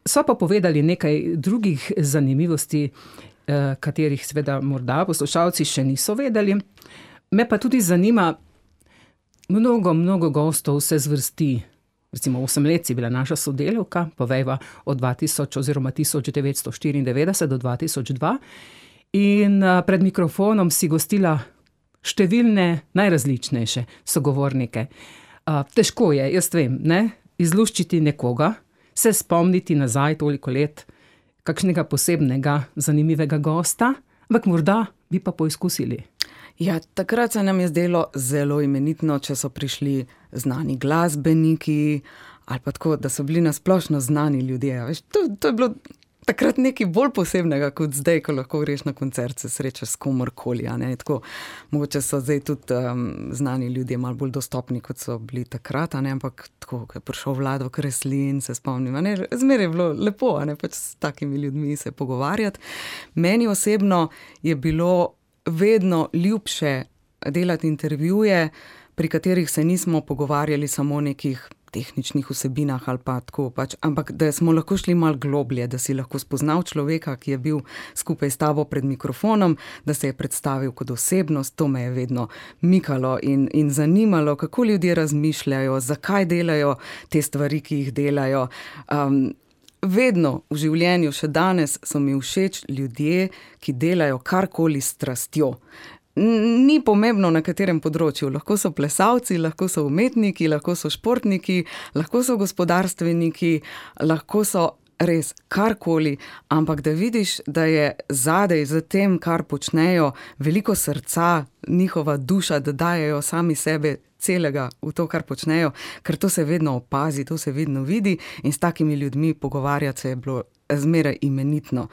So pa povedali nekaj drugih zanimivosti, katerih seveda morda poslušalci še niso vedeli. Me pa tudi zanima, mnogo gostov se zvrsti. Recimo 8 let si bila naša sodelavka, povejva od 2000 oziroma 1994 do 2002. In pred mikrofonom si gostila številne najrazličnejše sogovornike. Težko je, jaz vem, ne? Izluščiti nekoga, se spomniti nazaj toliko let, kakšnega posebnega, zanimivega gosta, ampak morda bi pa poizkusili. Ja, takrat se nam je zdelo zelo imenitno, če so prišli znani glasbeniki ali pa tako, da so bili nasplošno znani ljudje. Veš, to je bilo takrat nekaj bolj posebnega kot zdaj, ko lahko greš na koncert, se srečaš s komorkoli. Tako, mogoče so zdaj tudi znani ljudje malo bolj dostopni, kot so bili takrat, ampak tako, ko je prišel Vlado Kreslin, se spomnim, zmeraj je bilo lepo, pač s takimi ljudmi se pogovarjati. Meni osebno je bilo vedno ljubše delati intervjuje, pri katerih se nismo pogovarjali samo o nekih tehničnih vsebinah ali pa tako pač, ampak da smo lahko šli malo globlje, da si lahko spoznal človeka, ki je bil skupaj s tabo pred mikrofonom, da se je predstavil kot osebnost. To me je vedno mikalo in zanimalo, kako ljudje razmišljajo, zakaj delajo te stvari, ki jih delajo. Vedno v življenju, še danes, so mi všeč ljudje, ki delajo karkoli s strastjo. Ni pomembno, na katerem področju. Lahko so plesalci, lahko so umetniki, lahko so športniki, lahko so gospodarstveniki, lahko so res karkoli, ampak da vidiš, da je zadej za tem, kar počnejo, veliko srca, njihova duša, da dajejo sami sebe celega v to, kar počnejo, ker to se vedno opazi, to se vedno vidi in s takimi ljudmi pogovarjati se je bilo zmeraj imenitno.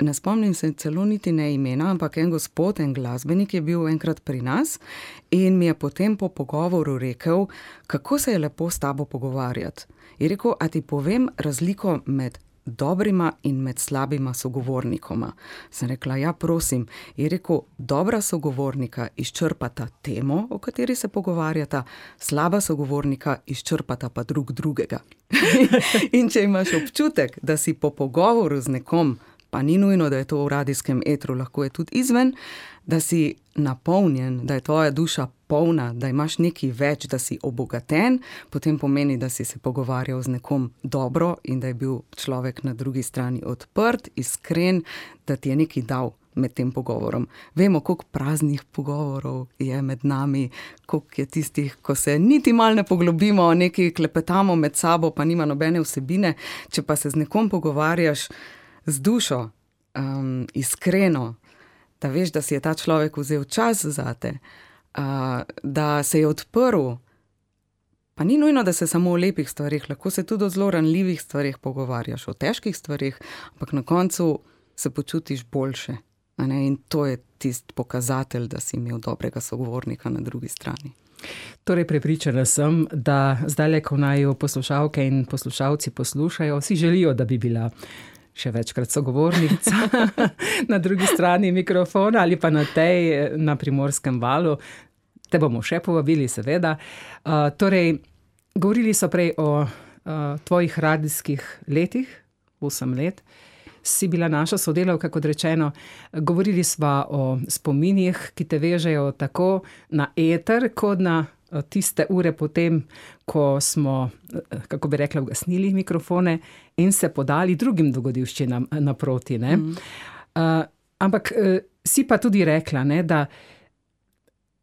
Ne spomnim se celo niti ne imena, ampak en gospod, en glasbenik je bil enkrat pri nas in mi je potem po pogovoru rekel, kako se je lepo s tabo pogovarjati. Je rekel, a ti povem razliko med dobrima in med slabima sogovornikoma. Sem rekla, ja, prosim. Je rekel, dobra sogovornika izčrpata temo, o kateri se pogovarjata, slaba sogovornika izčrpata pa drugega. In če imaš občutek, da si po pogovoru z nekom, pa ni nujno, da je to v radijskem etru, lahko je tudi izven, da si napolnjen, da je tvoja duša polna, da imaš nekaj več, da si obogaten, potem pomeni, da si se pogovarjal z nekom dobro in da je bil človek na drugi strani odprt, iskren, da ti je nekaj dal med tem pogovorom. Vemo, koliko praznih pogovorov je med nami, koliko je tistih, ko se niti malo ne poglobimo, nekaj klepetamo med sabo, pa nima nobene vsebine. Če pa se z nekom pogovarjaš z dušo, iskreno, da veš, da si je ta človek vzel čas zate, da se je odprl, pa ni nujno, da se samo o lepih stvarih, lahko se tudi o zelo ranljivih stvarih pogovarjaš, o težkih stvarih, ampak na koncu se počutiš boljše. In to je tisti pokazatelj, da si imel dobrega sogovornika na drugi strani. Torej, prepričana sem, da zdaj, ko naju poslušalke in poslušalci poslušajo, si želijo, da bi bila še večkrat sogovornica na drugi strani mikrofona ali pa na Primorskem valu. Te bomo še povabili, seveda. Torej, govorili so prej o tvojih radijskih letih, 8 let. Si bila naša sodelavka, kot rečeno. Govorili sva o spominih, ki te vežejo tako na eter, kot na tiste ure potem, ko smo, kako bi rekla, ugasnili mikrofone in se podali drugim dogodivščinam naproti. Ampak si pa tudi rekla, da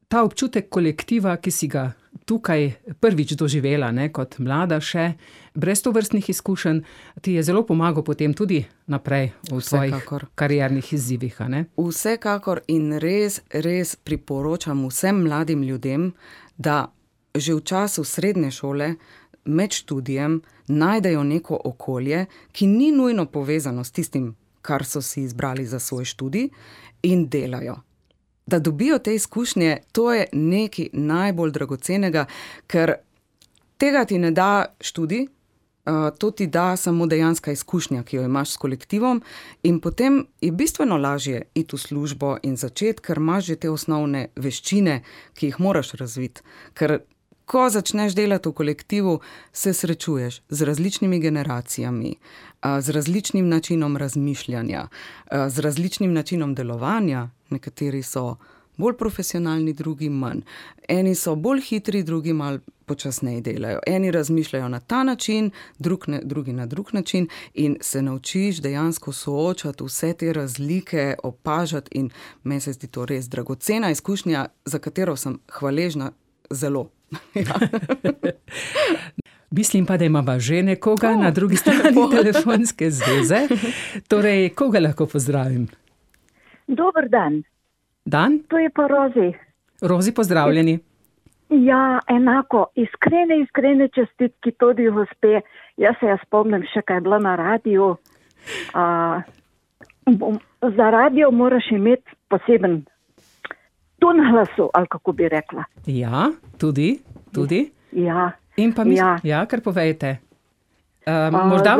ta občutek kolektiva, ki si ga tukaj prvič doživela, kot mlada še, brez tovrstnih izkušenj, ti je zelo pomagal potem tudi naprej v svojih kariernih izzivih. Vsekakor in res priporočam vsem mladim ljudem, da že v času srednje šole, med študijem, najdejo neko okolje, ki ni nujno povezano s tistim, kar so si izbrali za svoj študij, in delajo. Da dobijo te izkušnje, to je nekaj najbolj dragocenega, ker tega ti ne da študij, to ti da samo dejanska izkušnja, ki jo imaš s kolektivom, in potem je bistveno lažje iti v službo in začeti, ker imaš že te osnovne veščine, ki jih moraš razviti. Ker ko začneš delati v kolektivu, se srečuješ z različnimi generacijami, z različnim načinom razmišljanja, z različnim načinom delovanja. Nekateri so bolj profesionalni, drugi manj. Eni so bolj hitri, drugi malo počasneje delajo. Eni razmišljajo na ta način, drugi na drug način in se naučiš dejansko soočati vse te razlike, opažati in meni se zdi to res dragocena izkušnja, za katero sem hvaležna zelo. Mislim pa, da imamo že nekoga na drugi strani telefonske zveze. Torej, koga lahko pozdravim? Dober dan. Dan? To je pa Rozi. Rozi, pozdravljeni. Ja, enako. Iskrene čestitki tudi gospe. Jaz se spomnim še, kaj je bila na radiju. Za radio moraš imeti poseben ton glasu, ali kako bi rekla. Ja, tudi. Ja. In pa kar povejte. Morda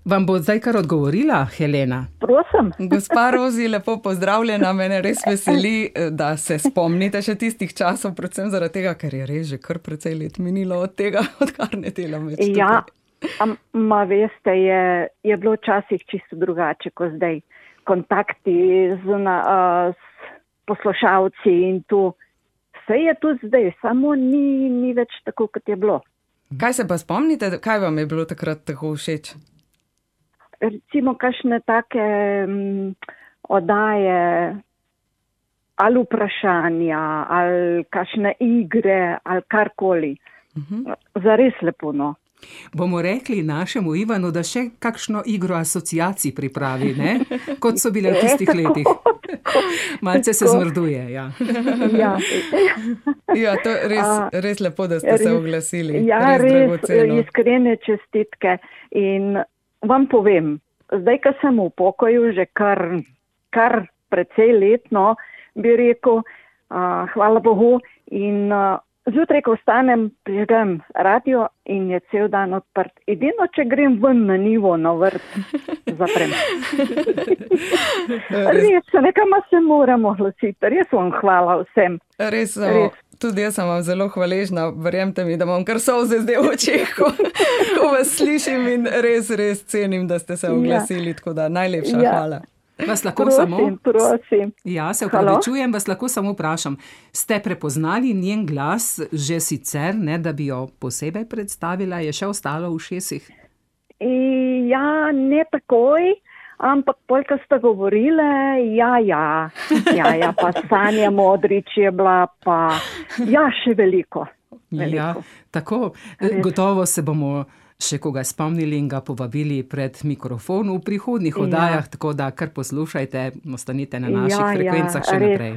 vam bo zdaj kar odgovorila Helena. Prosim. Gospa Rozi, lepo pozdravljena. Mene res veseli, da se spomnite še tistih časov, predvsem zaradi tega, ker je res že kar precej let minilo od tega, odkar ne delam več tukaj. Ja, veste, je bilo včasih čisto drugače kot zdaj. Kontakti z poslušalci in tu. Vse je tu zdaj, samo ni več tako, kot je bilo. Kaj se pa spomnite, kaj vam je bilo takrat tako všeč? Recimo kakšne take oddaje ali vprašanja ali kakšne igre ali karkoli. Zares lepo, no. Bomo rekli našemu Ivanu, da še kakšno igro asociacij pripravi, ne? Kot so bile v tistih letih. Malce se zmrduje, ja. Ja, to res lepo, da ste se oglasili. Ja, res iskrene čestitke. In vam povem, zdaj, ko sem v pokoju, že kar precej letno, bi rekel, hvala Bogu, in zjutraj, ko vstanem, prižgem radio in je cel dan odprt. Edino, če grem ven na nivo, na vrt, zaprem. Res, nekam se moramo glasiti. Res vam hvala vsem. Res. Tudi jaz sem vam zelo hvaležna, verjemte mi, da imam kar solze zdaj v očeh, ko vas slišim in res cenim, da ste se oglasili, tako da najlepša hvala. Vas lahko prosim. Ja, se opravičujem, vas lahko samo vprašam. Ste prepoznali njen glas že sicer, ne, da bi jo posebej predstavila? Je še ostalo v ušesih? Ja, ne takoj, ampak polka sta govorile, ja, pa Sanja Modrič je bila, pa še veliko. Ja, tako, gotovo se bomo še koga spomnili in ga povabili pred mikrofon v prihodnjih oddajah, tako da kar poslušajte, ostanite na naših frekvencah še naprej.